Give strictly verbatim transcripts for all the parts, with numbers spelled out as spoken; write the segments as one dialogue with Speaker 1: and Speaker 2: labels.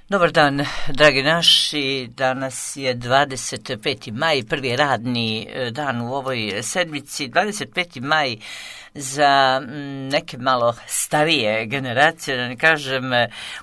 Speaker 1: Dobar dan, dragi naši. Danas je dvadeset peti maj, prvi radni dan u ovoj sedmici. dvadeset peti maj za neke malo starije generacije, da ne kažem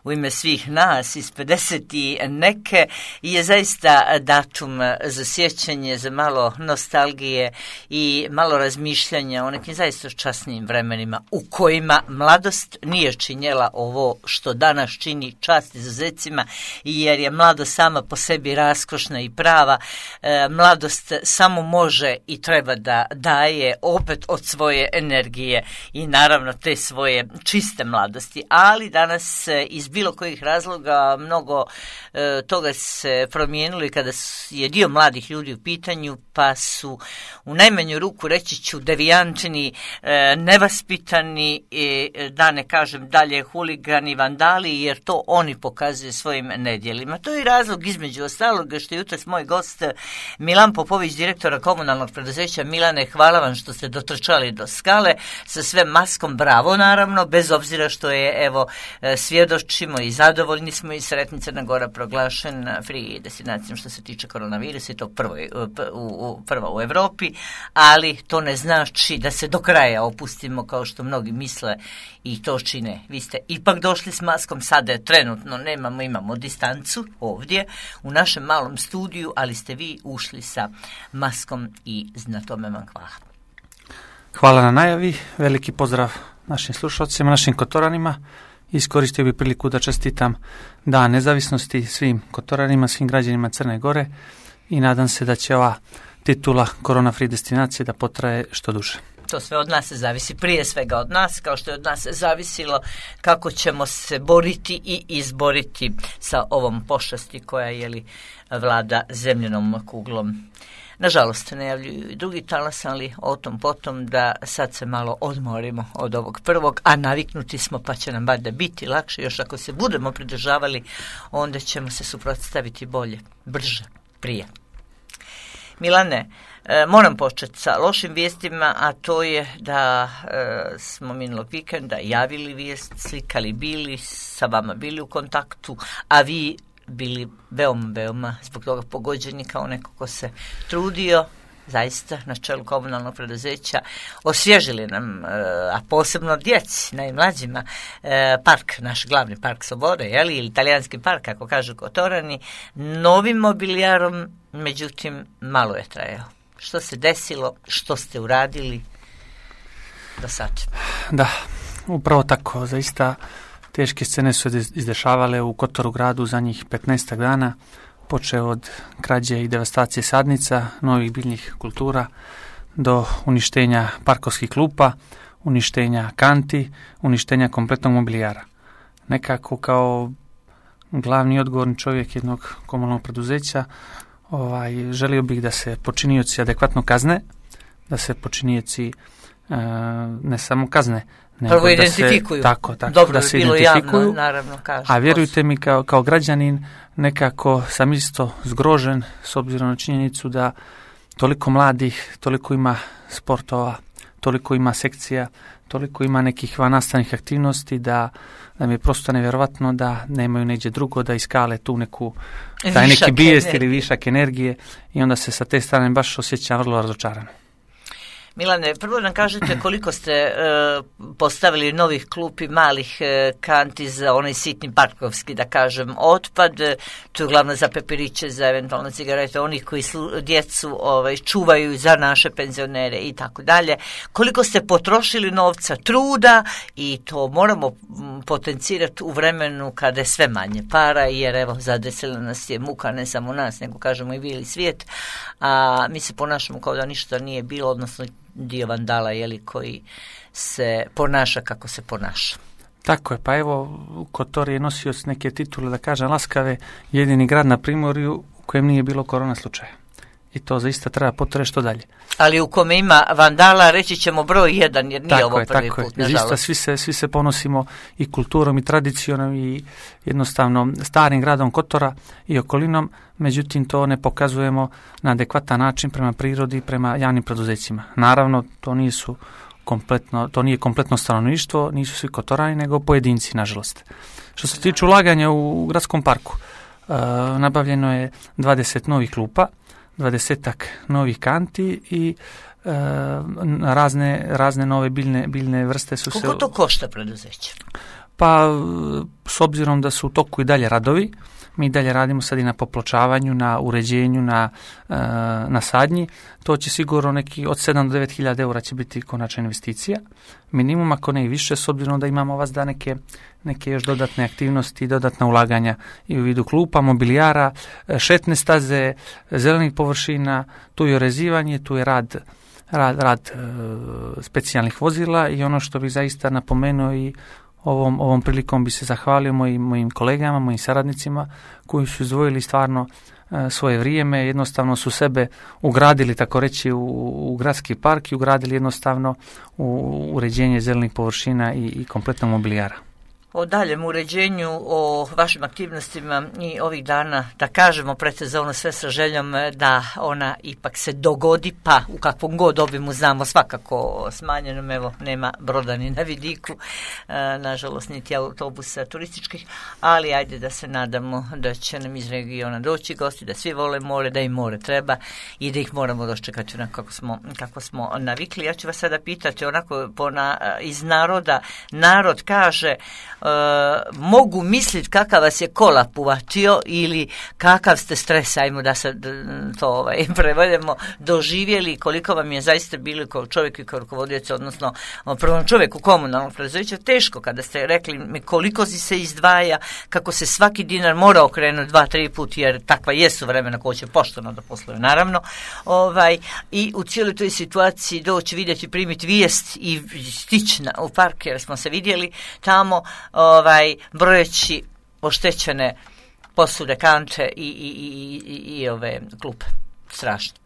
Speaker 1: u ime svih nas iz pedeset i neke, je zaista datum za sjećanje, za malo nostalgije i malo razmišljanja o nekim zaista časnim vremenima u kojima mladost nije činjela ovo što danas čini čast izuzecima, jer je mladost sama po sebi raskošna i prava. E, mladost samo može i treba da daje opet od svoje energije i naravno te svoje čiste mladosti, ali danas iz bilo kojih razloga mnogo e, toga se promijenilo i kada je dio mladih ljudi u pitanju, pa su u najmanju ruku reći ću devijančini, e, nevaspitani, e, da ne kažem dalje huligani, vandali, jer to oni pokazuju svojim nedjelima. To je razlog između ostalog što je jutros moj gost Milan Popović, direktora komunalnog preduzeća. Milane, hvala vam što ste dotrčali do skale sa sve maskom, bravo naravno, bez obzira što je, evo, svjedočimo i zadovoljni smo i sretni, Crna Gora proglašen free destinacijom što se tiče koronavirusa i to prvo, u, u, prvo u Europi, ali to ne znači da se do kraja opustimo kao što mnogi misle i to čine. Vi ste ipak došli s maskom, sada je trenutno nemamo, imamo distancu ovdje u našem malom studiju, ali ste vi ušli sa maskom i na tome vam hvala.
Speaker 2: Hvala na najavi, veliki pozdrav našim slušalcima, našim Kotoranima. Iskoristio bih priliku da čestitam Dan nezavisnosti svim Kotoranima, svim građanima Crne Gore i nadam se da će ova titula Korona Free destinacije da potraje što duže.
Speaker 1: To sve od nas zavisi, prije svega od nas, kao što je od nas zavisilo kako ćemo se boriti i izboriti sa ovom pošasti koja je li vlada zemljenom kuglom. Nažalost, najavljuju i drugi talas, ali o tom potom da sad se malo odmorimo od ovog prvog, a naviknuti smo pa će nam bar da biti lakše. Još ako se budemo pridržavali, onda ćemo se suprotstaviti bolje, brže, prije. Milane, e, moram početi sa lošim vijestima, a to je da e, smo minulog vikenda javili vijest, slikali bili, sa vama bili u kontaktu, a vi bili veoma, veoma zbog toga pogođeni kao neko ko se trudio, zaista na čelu komunalnog preduzeća, osvježili nam, a posebno djeci, najmlađima, park, naš glavni park Slobode, jeli, ili italijanski park, kako kažu Kotorani, novim mobilijarom, međutim, malo je trajao. Što se desilo, što ste uradili do sad?
Speaker 2: Da, upravo tako, zaista teške scene su izdešavale u Kotoru gradu za njih petnaestak dana, počeo od krađe i devastacije sadnica, novih biljnih kultura, do uništenja parkovskih klupa, uništenja kanti, uništenja kompletnog mobilijara. Nekako kao glavni odgovorni čovjek jednog komunalnog preduzeća ovaj, želio bih da se počinioci adekvatno kazne, da se počinioci e, ne samo kazne,
Speaker 1: prvo identifikuju.
Speaker 2: Se, tako, tako,
Speaker 1: dobro
Speaker 2: da se
Speaker 1: bilo
Speaker 2: identifikuju,
Speaker 1: javno, naravno, kažu.
Speaker 2: A vjerujte mi, kao, kao građanin, nekako sam isto zgrožen s obzirom na činjenicu da toliko mladih, toliko ima sportova, toliko ima sekcija, toliko ima nekih vannastavnih aktivnosti da, da mi je prosto nevjerovatno da nemaju neđe drugo da iskale tu neku taj neki bijest ili višak energije i onda se sa te strane baš osjećam vrlo razočaran.
Speaker 1: Milane, prvo nam kažete koliko ste e, postavili novih klupi, malih e, kanti za onaj sitni parkovski, da kažem, otpad, to je uglavnom za pepiriće, za eventualno cigarete, onih koji slu, djecu ovaj, čuvaju za naše penzionere i tako dalje. Koliko ste potrošili novca, truda, i to moramo potencirati u vremenu kada je sve manje para, jer evo, zadesila nas je muka, ne samo nas, nego kažemo i bili svijet, a mi se ponašamo kao da ništa nije bilo, odnosno dio vandala, jeli, koji se ponaša kako se ponaša.
Speaker 2: Tako je, pa evo, Kotor je nosio neke titule, da kažem, laskave, jedini grad na Primorju u kojem nije bilo korona slučaja. I to zaista treba potre što dalje.
Speaker 1: Ali u kome ima vandala, reći ćemo broj jedan, jer nije tako ovo
Speaker 2: je,
Speaker 1: prvi
Speaker 2: tako
Speaker 1: put,
Speaker 2: je. Zaista svi se, svi se ponosimo i kulturom i tradicijom i jednostavno starim gradom Kotora i okolinom, međutim to ne pokazujemo na adekvatan način prema prirodi i prema javnim preduzećima. Naravno, to nisu kompletno, to nije kompletno stanovništvo, nisu svi kotorani, nego pojedinci, nažalost. Što se tiče ulaganja u gradskom parku, uh, nabavljeno je dvadeset novih klupa, dvadesetak novih kanti i uh, razne, razne nove biljne, biljne vrste su
Speaker 1: Koliko
Speaker 2: se...
Speaker 1: Koliko to košta preduzeće?
Speaker 2: Pa, s obzirom da su u toku i dalje radovi, mi dalje radimo sad i na popločavanju, na uređenju, na, na sadnji. To će sigurno neki od sedam do devet hiljada eura će biti konačna investicija. Minimum, ako ne i više, s obzirom da imamo vas da neke, neke još dodatne aktivnosti, dodatna ulaganja i u vidu klupa, mobilijara, šetne staze, zelenih površina, tu je orezivanje, tu je rad, rad, rad e, specijalnih vozila i ono što bih zaista napomenuo i Ovom, ovom prilikom bi se zahvalio mojim, mojim kolegama, mojim saradnicima koji su izdvojili stvarno e, svoje vrijeme, jednostavno su sebe ugradili, tako reći, u, u gradski park i ugradili jednostavno u uređenje zelenih površina i, i kompletnog mobilijara.
Speaker 1: O daljem uređenju, o vašim aktivnostima i ovih dana, da kažemo predsezonu sve sa željom da ona ipak se dogodi, pa u kakvom god obimu znamo svakako smanjenom, evo nema broda ni na vidiku, e, nažalost niti autobusa turističkih, ali ajde da se nadamo da će nam iz regiona doći gosti, da svi vole more, da im more treba i da ih moramo dočekati onako kako smo, kako smo navikli. Ja ću vas sada pitati onako pona, iz naroda, narod kaže Uh, mogu misliti kakav vas je kolap uvatio ili kakav ste stres, ajmo da se to ovaj, prevedemo, doživjeli, koliko vam je zaista bili kao čovjek i kao rukovodioc, odnosno prvom čovjeku komunalnog preduzeća, teško kada ste rekli mi koliko se izdvaja, kako se svaki dinar mora okrenuti dva, tri put, jer takva jesu vremena koja će pošteno da posluje, naravno, ovaj, i u cijeloj toj situaciji doći vidjeti, primiti vijest i stići u park, jer smo se vidjeli tamo, ovaj, brojeći oštećene posude, kante i, i, i, i, i ove klupe. Strašno.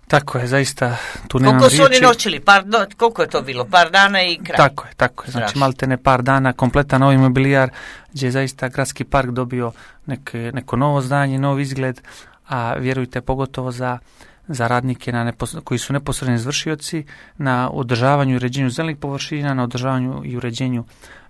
Speaker 2: Tako je, zaista tu nemam
Speaker 1: riječi. Koliko su oni noćili? Par, no, koliko je to bilo? Par dana i kraj?
Speaker 2: Tako je, tako je. Znači maltene par dana, kompletan novi mobilijar, gdje je zaista gradski park dobio neke, neko novo zdanje, nov izgled, a vjerujte pogotovo za za radnike na nepos- koji su neposredni izvršioci na održavanju i uređenju zelenih površina, na održavanju i uređenju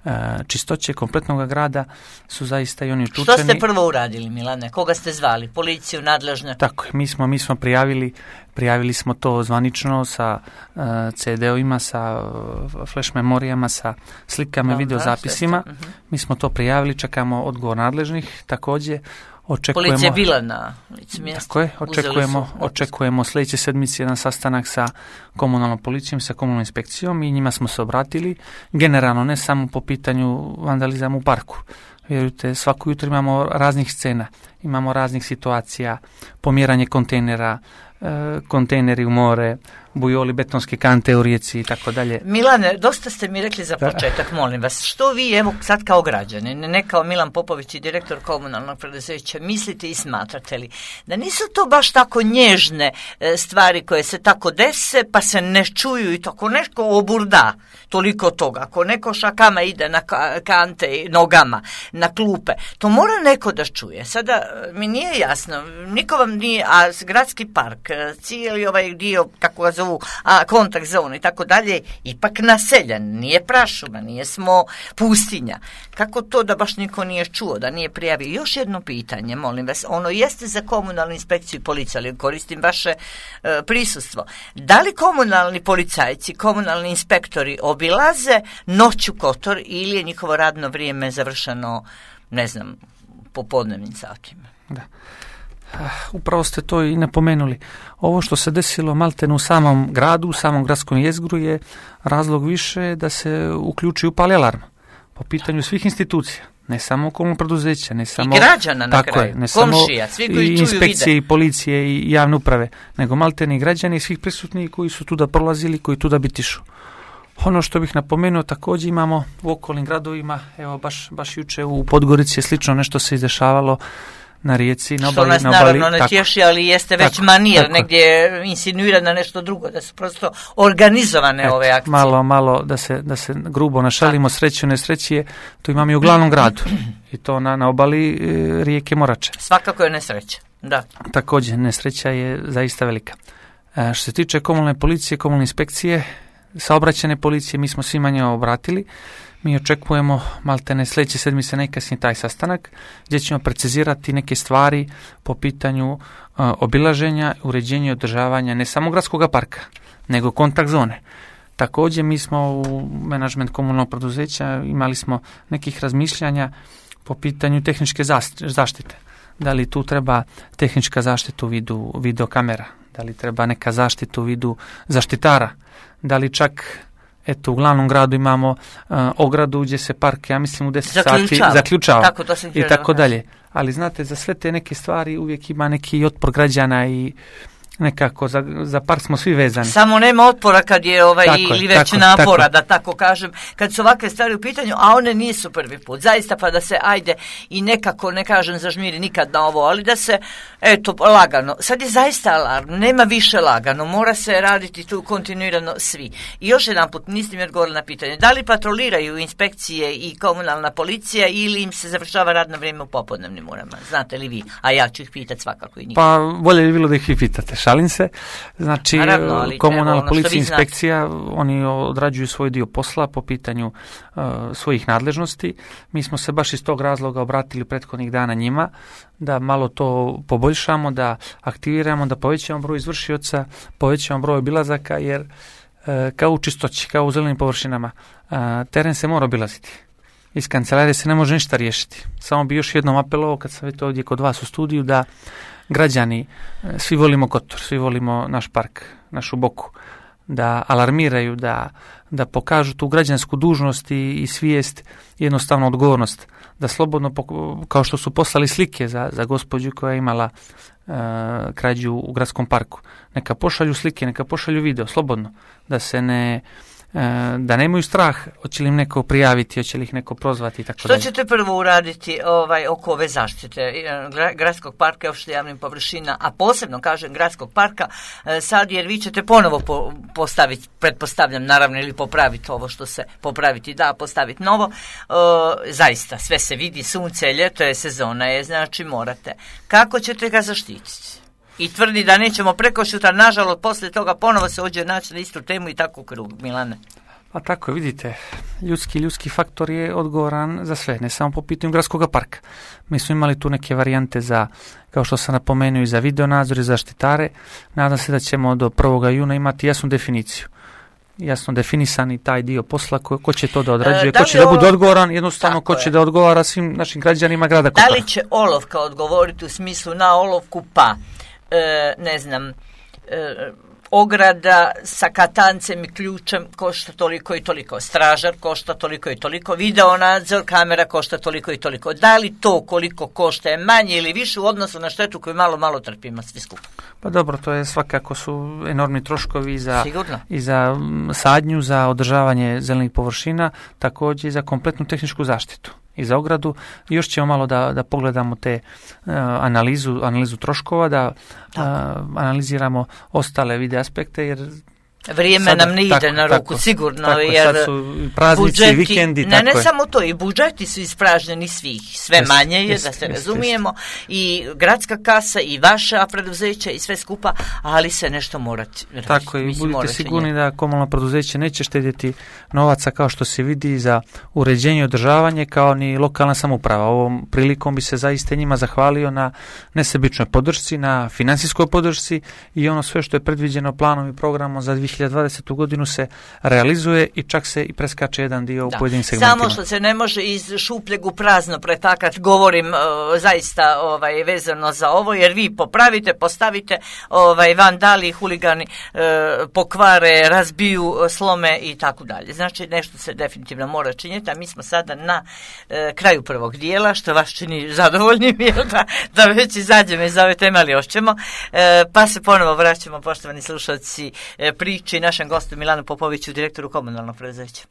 Speaker 2: e, čistoće kompletnog grada su zaista i oni uključeni.
Speaker 1: Što ste prvo uradili, Milane? Koga ste zvali? Policiju, nadležne?
Speaker 2: Tako je, mi smo, mi smo prijavili, prijavili smo to zvanično sa uh, ce de ovima, sa uh, flash memorijama, sa slikama i no, videozapisima. Da, uh-huh. Mi smo to prijavili, čekamo odgovor nadležnih, također. Očekujemo,
Speaker 1: policija je bila na licu mjesta.
Speaker 2: Tako je, očekujemo, očekujemo sljedeće sedmice jedan sastanak sa komunalnom policijom, sa komunalnom inspekcijom i njima smo se obratili. Generalno, ne samo po pitanju vandalizama u parku. Vjerujte, svako jutro imamo raznih scena, imamo raznih situacija, pomjeranje kontejnera, e, kontejneri u more, bujoli, betonske kante u rijeci i tako dalje.
Speaker 1: Milane, dosta ste mi rekli za početak, molim vas, što vi, evo sad kao građani, ne kao Milan Popović i direktor komunalnog preduzeća, mislite i smatrate li da nisu to baš tako nježne stvari koje se tako dese, pa se ne čuju i tako nešto oburda, toliko toga, ako neko šakama ide na kante nogama, na klupe, to mora neko da čuje. Sada mi nije jasno, niko vam nije, a gradski park, cijeli ovaj dio, kako ga zovu, a kontakt zonu i tako dalje, ipak naseljen, nije prašuma, nije smo pustinja. Kako to da baš niko nije čuo, da nije prijavio? Još jedno pitanje, molim vas, ono jeste za komunalnu inspekciju i policiju, ali koristim vaše e, prisustvo. Da li komunalni policajci, komunalni inspektori obilaze noću Kotor ili je njihovo radno vrijeme završeno, ne znam, popodnevnim satima?
Speaker 2: Da. Upravo ste to i napomenuli. Ovo što se desilo maltene u samom gradu, u samom gradskom jezgru je razlog više da se uključi upali alarm po pitanju svih institucija, ne samo komunalnog preduzeća, ne samo
Speaker 1: i građana na
Speaker 2: tako
Speaker 1: kraju,
Speaker 2: je, ne
Speaker 1: komšija,
Speaker 2: samo
Speaker 1: svi koji
Speaker 2: i
Speaker 1: čuju,
Speaker 2: inspekcije
Speaker 1: vide.
Speaker 2: I policije i javne uprave, nego maltene i građani i svih prisutnih koji su tu da prolazili, koji tu da bitišu. Ono što bih napomenuo, također imamo u okolnim gradovima, evo baš, baš juče u Podgorici je slično nešto se izdešavalo na rijeci, na obali,
Speaker 1: što nas
Speaker 2: na obali,
Speaker 1: naravno ne tješi, ali jeste već
Speaker 2: tako,
Speaker 1: manir,
Speaker 2: tako.
Speaker 1: negdje insinuira na nešto drugo, da su prosto organizovane
Speaker 2: Et,
Speaker 1: ove akcije.
Speaker 2: Malo, malo da se, da se grubo našalimo, sreću, nesrećije, to imamo i u glavnom gradu i to na, na obali e, rijeke Morače.
Speaker 1: Svakako je nesreća, da.
Speaker 2: Također, nesreća je zaista velika. E, što se tiče komunalne policije, komunalne inspekcije, saobraćajne policije, mi smo svima njima obratili. Mi očekujemo maltene sljedeće sedmice najkasnije taj sastanak gdje ćemo precizirati neke stvari po pitanju uh, obilaženja, uređenja i održavanja ne samo gradskog parka, nego kontakt zone. Također mi smo u menadžment komunalnog poduzeća imali smo nekih razmišljanja po pitanju tehničke zaštite. Da li tu treba tehnička zaštita u vidu videokamera, da li treba neka zaštita u vidu zaštitara, da li čak eto u glavnom gradu imamo uh, ogradu gdje se park, ja mislim u deset sati zaključava
Speaker 1: tako,
Speaker 2: i tako dalje. Ali znate, za sve te neke stvari uvijek ima neki otpor građana i nekako za, za park smo svi vezani.
Speaker 1: Samo nema otpora kad je ovaj
Speaker 2: tako,
Speaker 1: ili već
Speaker 2: tako,
Speaker 1: napora,
Speaker 2: tako.
Speaker 1: Da tako kažem, kad su ovakve stvari u pitanju, a one nisu prvi put. Zaista pa da se ajde i nekako, ne kažem zažmiri nikad na ovo, ali da se, eto, lagano. Sad je zaista alarm, nema više lagano, mora se raditi tu kontinuirano svi. I još jedan put, niste mi odgovorili na pitanje, da li patroliraju inspekcije i komunalna policija ili im se završava radno vrijeme u popodnevnim urama? Znate li vi? A ja ću ih pitati svakako i njih.
Speaker 2: Pa bolje bi bilo da ih vi pitate. Šalim se. Znači,
Speaker 1: naravno,
Speaker 2: komunalna policija i inspekcija, oni odrađuju svoj dio posla po pitanju uh, svojih nadležnosti. Mi smo se baš iz tog razloga obratili prethodnih dana njima, da malo to poboljšamo, da aktiviramo, da povećamo broj izvršioca, povećamo broj obilazaka, jer uh, kao u čistoći, kao u zelenim površinama, uh, teren se mora obilaziti. Iz kancelarije se ne može ništa riješiti. Samo bi još jednom apelovao, kad sam već ovdje kod vas u studiju, da građani, svi volimo Kotor, svi volimo naš park, našu Boku, da alarmiraju, da, da pokažu tu građansku dužnost i, i svijest, jednostavno odgovornost, da slobodno, kao što su poslali slike za, za gospođu koja je imala uh, krađu u gradskom parku, neka pošalju slike, neka pošalju video, slobodno, da se ne... da nemaju strah, hoće li im neko prijaviti, hoće li ih neko prozvati i tako dalje.
Speaker 1: Što ćete prvo uraditi ovaj, oko ove zaštite gradskog parka i opšte javnih površina, a posebno kažem gradskog parka sad, jer vi ćete ponovo po, postaviti, pretpostavljam naravno, ili popraviti ovo što se popraviti da, postaviti novo. E, zaista, sve se vidi, sunce, ljeto je, sezona je, znači morate. Kako ćete ga zaštititi? I tvrdi da nećemo preko šutra, nažalost, poslije toga ponovo se ođe naći na istu temu i tako u krug, Milane.
Speaker 2: Pa tako, vidite, ljudski ljudski faktor je odgovoran za sve, ne samo po pitanju gradskog parka. Mi smo imali tu neke varijante za, kao što sam napomenuo, i za videonadzor i zaštitare. Nadam se da ćemo do prvog juna imati jasnu definiciju. Jasno definisani taj dio posla, ko, ko će to da odrađuje, da ko će da bude odgovoran, jednostavno ko će da odgovara svim našim građanima grada Kotora.
Speaker 1: Da li će olovka odgovoriti u smislu na olovku pa? E, ne znam, e, ograda sa katancem i ključem košta toliko i toliko, stražar košta toliko i toliko, video nadzor, kamera košta toliko i toliko. Da li to koliko košta je manje ili više u odnosu na štetu koju malo, malo trpimo svi skupa?
Speaker 2: Pa dobro, to je svakako su enormni troškovi za, i za sadnju, za održavanje zelenih površina, također i za kompletnu tehničku zaštitu i za ogradu. Još ćemo malo da, da pogledamo te uh, analizu, analizu troškova, da uh, analiziramo ostale vide aspekte, jer
Speaker 1: vrijeme sada nam ne ide tako, na ruku, tako, sigurno,
Speaker 2: tako,
Speaker 1: jer
Speaker 2: sad su praznici, budžeti, vikendi,
Speaker 1: ne,
Speaker 2: tako
Speaker 1: ne
Speaker 2: je.
Speaker 1: samo to, i budžeti su ispražnjeni svih, sve jest, manje je, jest, da se jest, razumijemo, jest. I gradska kasa, i vaša preduzeća, i sve skupa, ali se nešto morati.
Speaker 2: Tako je, budite sigurni da komunalno preduzeće neće štedjeti novaca, kao što se vidi, za uređenje i održavanje, kao ni lokalna samouprava. Ovom prilikom bi se zaista njima zahvalio na nesebičnoj podršci, na financijskoj podršci, i ono sve što je predviđeno planom i programom za dvije hiljade dvadesete. godinu se realizuje i čak se i preskače jedan dio u pojedinim segmentima.
Speaker 1: Samo što se ne može iz šupljeg u prazno pretakat, govorim uh, zaista ovaj, vezano za ovo, jer vi popravite, postavite, ovaj, vandali, huligani uh, pokvare, razbiju, slome i tako dalje. Znači nešto se definitivno mora činiti, a mi smo sada na uh, kraju prvog dijela, što vas čini zadovoljnim, da, da već izađemo iz ove teme, ali još ćemo, uh, pa se ponovo vraćamo, poštovani slušalci, uh, priči našem gostu Milanu Popoviću, direktoru komunalnog preduzeća.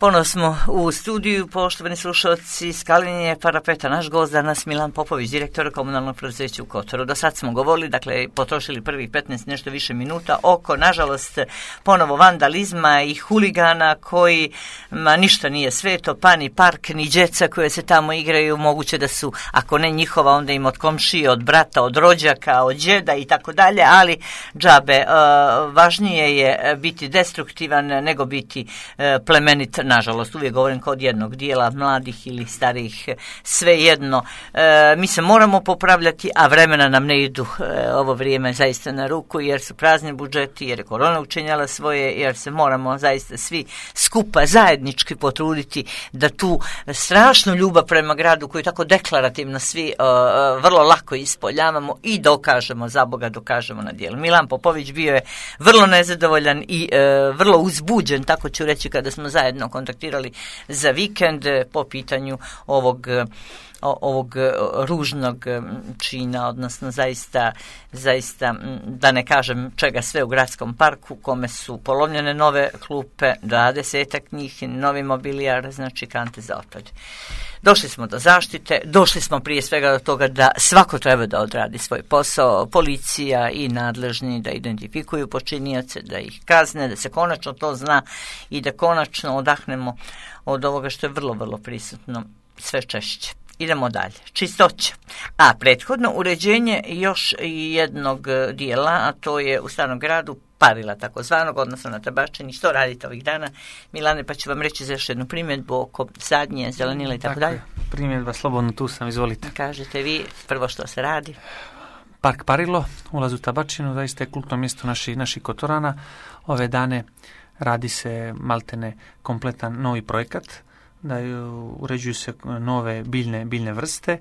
Speaker 1: Ponovo smo u studiju, poštovani slušalci, Skalinje parapeta. Naš gost danas Milan Popović, direktor komunalnog preduzeća u Kotoru. Do sad smo govorili, dakle, potrošili prvih petnaest nešto više minuta oko, nažalost, ponovo vandalizma i huligana koji, ma ništa nije sveto, pa ni park, ni djeca koje se tamo igraju, moguće da su, ako ne njihova, onda im od komšije, od brata, od rođaka, od džeda i tako dalje, ali džabe, uh, važnije je biti destruktivan nego biti uh, plemenit. Nažalost, uvijek govorim kod jednog dijela, mladih ili starijih, svejedno. E, mi se moramo popravljati, a vremena nam ne idu e, ovo vrijeme zaista na ruku, jer su prazni budžeti, jer je korona učinjala svoje, jer se moramo zaista svi skupa zajednički potruditi da tu strašnu ljubav prema gradu, koju tako deklarativno svi e, vrlo lako ispoljavamo i dokažemo, za Boga dokažemo na dijelu. Milan Popović bio je vrlo nezadovoljan i e, vrlo uzbuđen, tako ću reći, kada smo zajedno kontaktirali za vikend po pitanju ovog, ovog ružnog čina, odnosno zaista, zaista, da ne kažem čega sve u gradskom parku, kome su polomljene nove klupe, dvadesetak njih, novi mobilijar, znači kante za otpad. Došli smo do zaštite, došli smo prije svega do toga da svako treba da odradi svoj posao, policija i nadležni da identifikuju počinioce, da ih kazne, da se konačno to zna i da konačno odahnemo od ovoga što je vrlo, vrlo prisutno sve češće. Idemo dalje. Čistoća. A prethodno uređenje još jednog dijela, a to je u Starom gradu parila takozvanog, odnosno na Tabačini. Što radite ovih dana, Milane, pa ću vam reći za još jednu primjedbu oko sadnje, zelenila i tako, tako dalje.
Speaker 2: Primjedba, slobodno tu sam, izvolite.
Speaker 1: Kažete vi prvo što se radi.
Speaker 2: Park Parilo, ulaz u Tabačinu, zaista je kultno mjesto naših naši Kotorana. Ove dane radi se maltene kompletan novi projekat, da uređuju se nove biljne, biljne vrste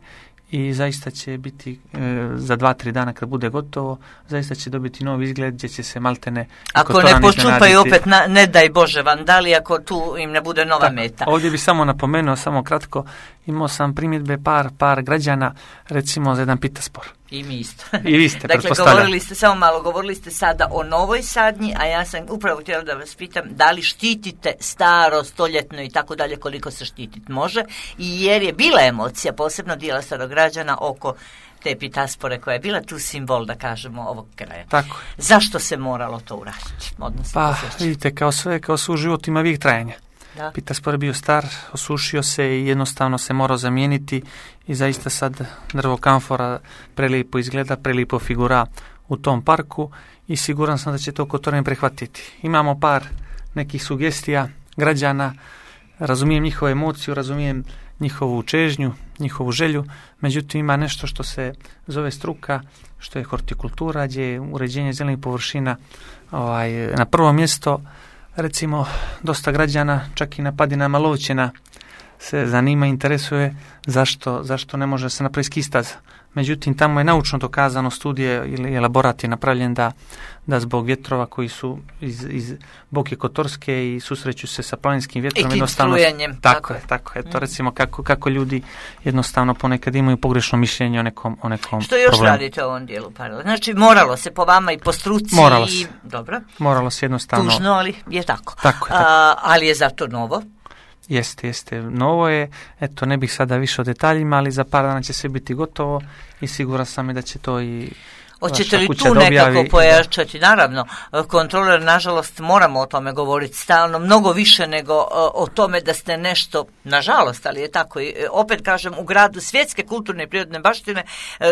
Speaker 2: i zaista će biti e, za dva, tri dana kad bude gotovo, zaista će dobiti novi izgled gdje će se maltene
Speaker 1: ako ne počupaju opet, na, ne daj Bože, vandali, ako tu im ne bude nova
Speaker 2: tako,
Speaker 1: meta.
Speaker 2: Ovdje bi samo napomenuo, samo kratko, imao sam primjedbe par, par građana, recimo za jedan pitaspor.
Speaker 1: I mi isto.
Speaker 2: I vi ste,
Speaker 1: dakle, govorili ste, samo malo, govorili ste sada o novoj sadnji, a ja sam upravo htjela da vas pitam da li štitite staro, stoljetno i tako dalje, koliko se štititi može, i jer je bila emocija, posebno dijela starograđana, oko te pitaspore koja je bila tu simbol, da kažemo, ovog kraja.
Speaker 2: Tako.
Speaker 1: Zašto se moralo to uraditi? Odnosno,
Speaker 2: pa,
Speaker 1: posjeći.
Speaker 2: vidite, kao sve, kao sve u životu ima vijek trajanja.
Speaker 1: Da.
Speaker 2: Pitaspor je bio star, osušio se i jednostavno se morao zamijeniti i zaista sad drvo kamfora prelijepo izgleda, prelijepo figura u tom parku i siguran sam da će to Kotorin prihvatiti. Imamo par nekih sugestija građana, razumijem njihovu emociju, razumijem njihovu čežnju, njihovu želju, međutim ima nešto što se zove struka, što je hortikultura, gdje je uređenje zelenih površina ovaj, na prvo mjesto. Recimo, dosta građana, čak i na padinama Lovćena, se zanima, interesuje zašto, zašto ne može se napraviti ski staza. Međutim, tamo je naučno dokazano, studije ili elaborat je napravljen da, da zbog vjetrova koji su iz, iz Boke Kotorske i susreću se sa planinskim vjetrom, jednostavno
Speaker 1: strujenjem,
Speaker 2: tako,
Speaker 1: tako
Speaker 2: je, tako je. To recimo kako, kako ljudi jednostavno ponekad imaju pogrešno mišljenje o nekom, o nekom
Speaker 1: Što još
Speaker 2: problemu.
Speaker 1: radite u ovom dijelu parila? Znači, moralo se po vama i po struci.
Speaker 2: Moralo
Speaker 1: i...
Speaker 2: se.
Speaker 1: Dobro.
Speaker 2: Moralo se jednostavno.
Speaker 1: Tužno, ali je tako.
Speaker 2: Tako je, tako.
Speaker 1: A, ali je zato novo.
Speaker 2: Jeste, jeste. Novo je, eto, ne bih sada više o detaljima, ali za par dana će sve biti gotovo i siguran sam i da će to i
Speaker 1: Hoćete li tu nekako pojačati? Naravno, kontroler, nažalost, moramo o tome govoriti stalno, mnogo više nego o tome da ste nešto, nažalost, ali je tako, i opet kažem, u gradu svjetske kulturne i prirodne baštine,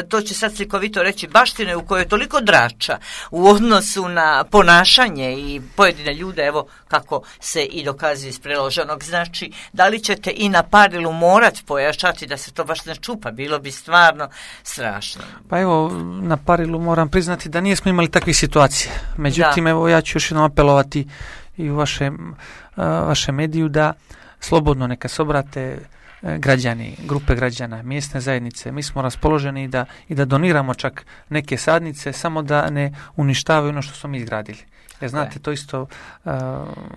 Speaker 1: to će sad slikovito reći, baštine u kojoj je toliko drača u odnosu na ponašanje i pojedine ljude, evo kako se i dokazuje iz preloženog. Znači, da li ćete i na Parilu morati pojačati da se to baš ne čupa? Bilo bi stvarno strašno.
Speaker 2: Pa evo, na Parilu moram priznati da nismo imali takvih situacija. Međutim, da. Evo ja ću još jednom apelovati i u vaše, vaše mediju da slobodno neka se obrate građani, grupe građana, mjesne zajednice. Mi smo raspoloženi da, i da doniramo čak neke sadnice, samo da ne uništavaju ono što smo mi izgradili. Jer znate, to isto uh,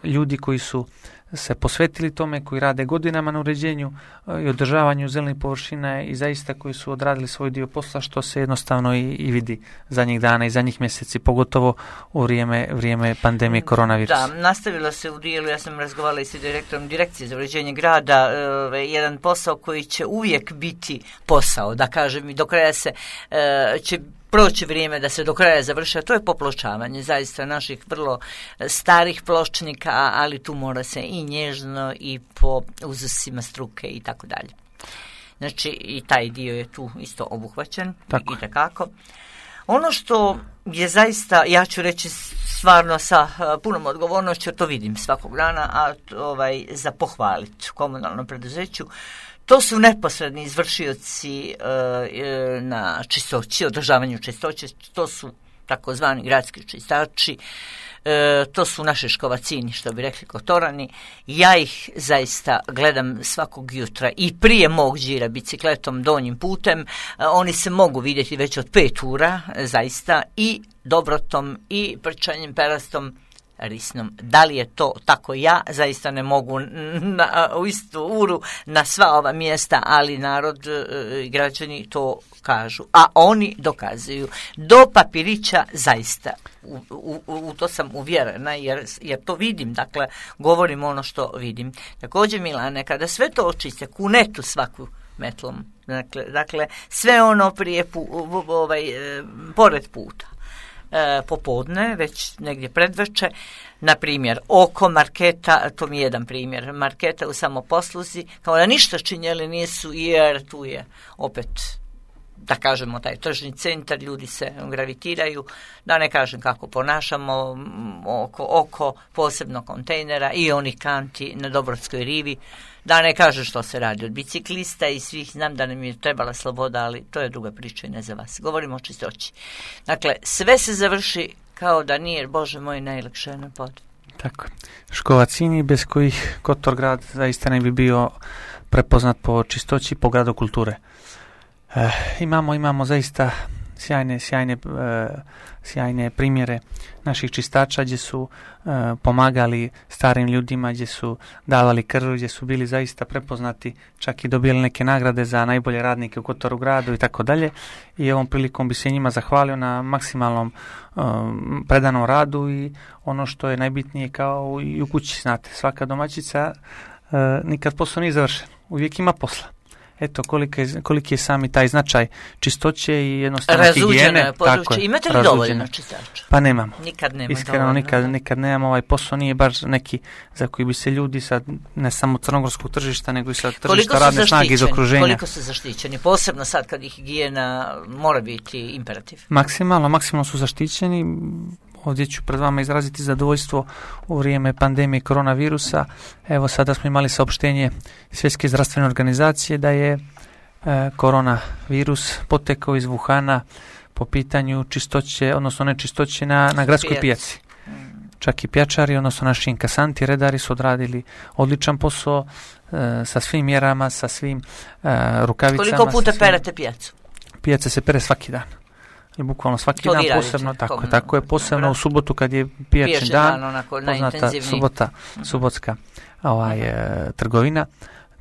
Speaker 2: ljudi koji su se posvetili tome, koji rade godinama na uređenju i održavanju zelenih površina i zaista koji su odradili svoj dio posla, što se jednostavno i, i vidi zadnjih dana i zadnjih mjeseci, pogotovo u vrijeme, vrijeme pandemije koronavirusa.
Speaker 1: Da, nastavilo se u dijelu, ja sam razgovarala i sa direktorom Direkcije za uređenje grada, e, jedan posao koji će uvijek biti posao, da kažem, i do kraja se e, će proći vrijeme da se do kraja završa, to je popločavanje zaista naših vrlo starih pločnika, ali tu mora se i nježno i po uzusima struke i tako dalje. Znači i taj dio je tu isto obuhvaćen i takako. Ono što je zaista, ja ću reći stvarno sa punom odgovornošću, to vidim svakog dana, a ovaj, za pohvaliti komunalnom preduzeću, to su neposredni izvršioci e, na čistoći, održavanju čistoće, to su takozvani gradski čistači, e, to su naši škovacini, što bi rekli kotorani. Ja ih zaista gledam svakog jutra i prije mog đira bicikletom donjim putem, e, oni se mogu vidjeti već od pet ura, zaista, i dobrotom i prčanjem perastom risnom. Da li je to tako? Ja zaista ne mogu na, u istu uru na sva ova mjesta, ali narod i građani to kažu. A oni dokazuju. Do papirića zaista. U, u, u to sam uvjerena jer, jer to vidim. Dakle, govorim ono što vidim. Također, Milane, kada sve to očiste, kunetu svaku metlom. Dakle, dakle sve ono prije pu, ovaj, pored puta. E, popodne, već negdje predveče, na primjer oko marketa, to mi je jedan primjer, marketa u samoposluzi, kao da ništa činjeli nisu, jer tu je opet, da kažemo, taj tržni centar, ljudi se gravitiraju, da ne kažem kako ponašamo oko, oko posebno kontejnera i onih kanti na Dobrotskoj rivi, da ne kažem što se radi od biciklista i svih, znam da nam je trebala sloboda, ali to je druga priča i ne za vas. Govorimo o čistoći. Dakle, sve se završi kao da nije, Bože moj, najlakše na pod.
Speaker 2: Tako. Škovacini bez kojih Kotorgrad zaista ne bi bio prepoznat po čistoći, po gradu kulture. E, imamo, imamo zaista sjajne, sjajne, e, sjajne primjere naših čistača gdje su e, pomagali starim ljudima, gdje su davali krv, gdje su bili zaista prepoznati, čak i dobili neke nagrade za najbolje radnike u Kotorgradu i tako dalje. I ovom prilikom bi se njima zahvalio na maksimalnom e, predanom radu i ono što je najbitnije kao i u kući, znate, svaka domaćica e, nikad posao nije završen, uvijek ima posla. Eto, koliki je, koliki je sami taj značaj čistoće i jednostavno higijene.
Speaker 1: Tako je, imate li dovoljno čistača?
Speaker 2: Pa nemamo.
Speaker 1: Nikad nema
Speaker 2: Iskreno,
Speaker 1: dovoljno.
Speaker 2: nikad, nikad nemamo. Ovaj posao nije baš neki za koji bi se ljudi sad, ne samo crnogorskog tržišta, nego i sa tržišta radne snage iz okruženja.
Speaker 1: Koliko su zaštićeni? Posebno sad kad ih higijena mora biti imperativ.
Speaker 2: Maksimalno, maksimalno su zaštićeni. Ovdje ću pred vama izraziti zadovoljstvo u vrijeme pandemije koronavirusa. Evo sada smo imali saopštenje Svjetske zdravstvene organizacije da je e, koronavirus potekao iz Wuhana po pitanju čistoće, odnosno nečistoće na, na gradskoj pijaci. Čak i pjačari, odnosno naši inkasanti, redari su odradili odličan posao e, sa svim mjerama, sa svim e, rukavicama.
Speaker 1: Koliko puta
Speaker 2: svim...
Speaker 1: perete pijacu?
Speaker 2: Pijace se pere svaki dan. I bukvalno svaki dan posebno, tako je, tako je posebno u subotu kad je pijačni dan, dan onako, poznata subota, subotska ovaj, e, trgovina.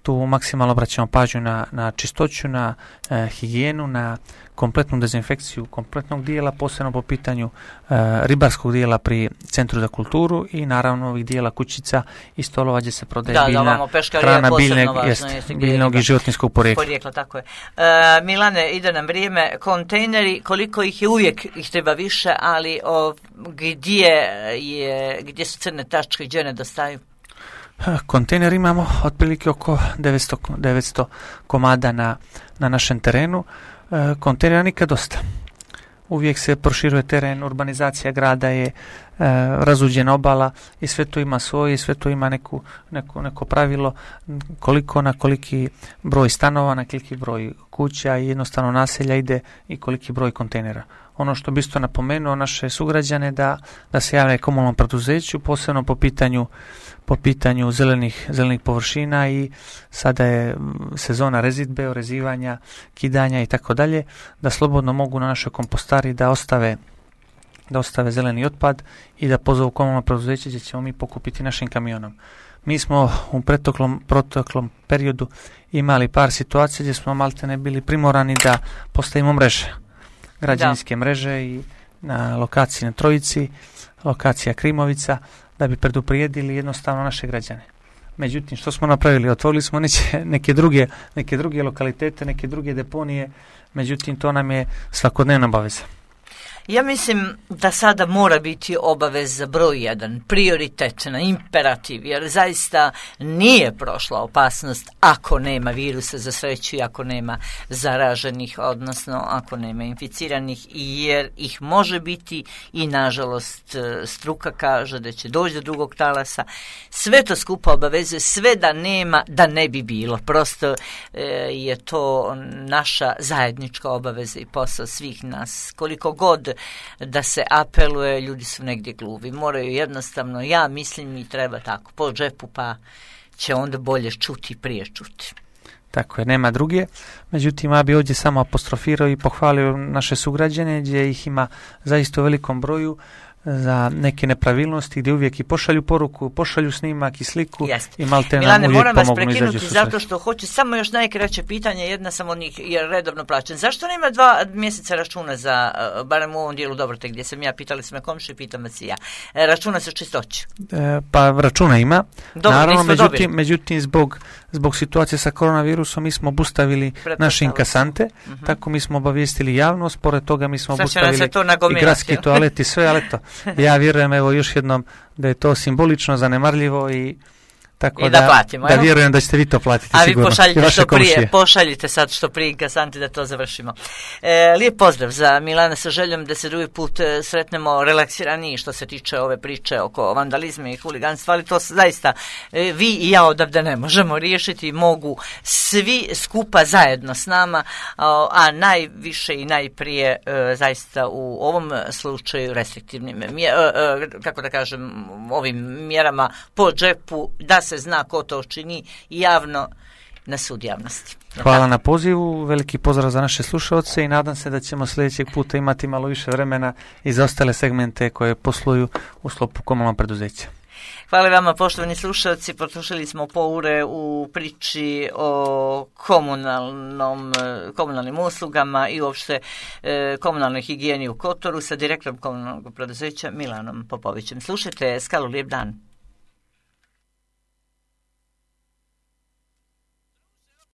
Speaker 2: Tu maksimalno obraćamo pažnju na, na čistoću, na e, higijenu, na kompletnu dezinfekciju kompletnog dijela, posebno po pitanju e, ribarskog dijela pri Centru za kulturu i naravno ovih dijela kućica i stolova gdje se prodaje
Speaker 1: da,
Speaker 2: biljna
Speaker 1: da,
Speaker 2: hrana biljnog,
Speaker 1: važno,
Speaker 2: jest,
Speaker 1: jeste,
Speaker 2: biljnog i životinjskog porijekla.
Speaker 1: porijekla tako je. E, Milane, ide nam vrijeme, kontejneri, koliko ih je, uvijek ih treba više, ali o, gdje, je, gdje su crne tačke, gdje nedostaju?
Speaker 2: Kontejner imamo otprilike oko devetsto, devetsto komada na, na našem terenu. E, kontejnera nikad dosta. Uvijek se proširuje teren, urbanizacija grada je e, razuđena obala i sve to ima svoje i sve to ima neku, neku, neko pravilo koliko na koliki broj stanova, na koliki broj kuća i jednostavno naselja ide i koliki broj kontejnera. Ono što bi isto napomenuo naše sugrađane da, da se javlja komunalnom preduzeću, posebno po pitanju po pitanju zelenih, zelenih površina i sada je sezona rezidbe, orezivanja, kidanja i tako dalje, da slobodno mogu na našoj kompostari da ostave da ostave zeleni otpad i da pozovu komunalno preduzeće gdje ćemo mi pokupiti našim kamionom. Mi smo u proteklom, proteklom periodu imali par situacija gdje smo maltene bili primorani da postavimo mreže, građevinske da. mreže i na lokaciji na Trojici, lokacija Krimovica, da bi preduprijedili jednostavno naše građane. Međutim, što smo napravili? Otvorili smo neke, neke, druge, neke druge lokalitete, neke druge deponije, međutim, to nam je svakodnevna obaveza.
Speaker 1: Ja mislim da sada mora biti obaveza broj jedan, prioritetna, imperativ, jer zaista nije prošla opasnost ako nema virusa za sreću i ako nema zaraženih, odnosno ako nema inficiranih, jer ih može biti i nažalost struka kaže da će doći do drugog talasa. Sve to skupa obavezuje, sve da nema, da ne bi bilo. Prosto e, je to naša zajednička obaveza i posao svih nas. Koliko god da se apeluje, ljudi su negdje gluvi. Moraju jednostavno, ja mislim i treba tako, po džepu pa će onda bolje čuti prije čuti.
Speaker 2: Tako je, nema druge. Međutim, ja bi ovdje samo apostrofirao i pohvalio naše sugrađane gdje ih ima zaista u velikom broju za neke nepravilnosti gdje uvijek i pošalju poruku, pošalju snimak i sliku.
Speaker 1: Jeste.
Speaker 2: I malte
Speaker 1: Milane,
Speaker 2: nam uvijek
Speaker 1: moram vas
Speaker 2: pomognu
Speaker 1: prekinuti zato što hoću samo još najkraće pitanje, jedna sam od njih jer redovno plaćen. Zašto nema dva mjeseca računa za, barem u ovom dijelu Dobrote gdje sam ja, pitali smo komši, pitam vas i ja, računa za čistoću?
Speaker 2: E, pa računa ima.
Speaker 1: Dobro,
Speaker 2: naravno, međutim, međutim zbog, zbog situacije sa koronavirusom mi smo obustavili naše inkasante, uh-huh. tako mi smo obavijestili javnost, pored toga mi smo
Speaker 1: Sad
Speaker 2: obustavili i gradski toalet i sve, ali to ja vjerujem evo još jednom da je to simbolično, zanemarljivo i tako
Speaker 1: I da, da, platimo,
Speaker 2: da vjerujem da ćete vi to platiti
Speaker 1: a
Speaker 2: sigurno.
Speaker 1: A vi pošaljite što prije, pošaljite sad što prije inkasanti da to završimo. E, lijep pozdrav za Milana sa željom da se drugi put sretnemo relaksiraniji što se tiče ove priče oko vandalizma i huliganstva, ali to zaista e, vi i ja odavde ne možemo riješiti, mogu svi skupa zajedno s nama, a, a najviše i najprije e, zaista u ovom slučaju restriktivnim mje, e, e, kako da kažem, ovim mjerama po džepu, da se zna ko to čini javno na sud javnosti.
Speaker 2: Hvala da. na pozivu, veliki pozdrav za naše slušalce i nadam se da ćemo sljedećeg puta imati malo više vremena i za ostale segmente koje posluju u sklopu komunalnog preduzeća.
Speaker 1: Hvala vama, poštovani slušalci, potrošili smo po ure u priči o komunalnom, komunalnim uslugama i uopšte e, komunalnoj higijeni u Kotoru sa direktorom komunalnog preduzeća Milanom Popovićem. Slušajte, Skalu, lijep dan.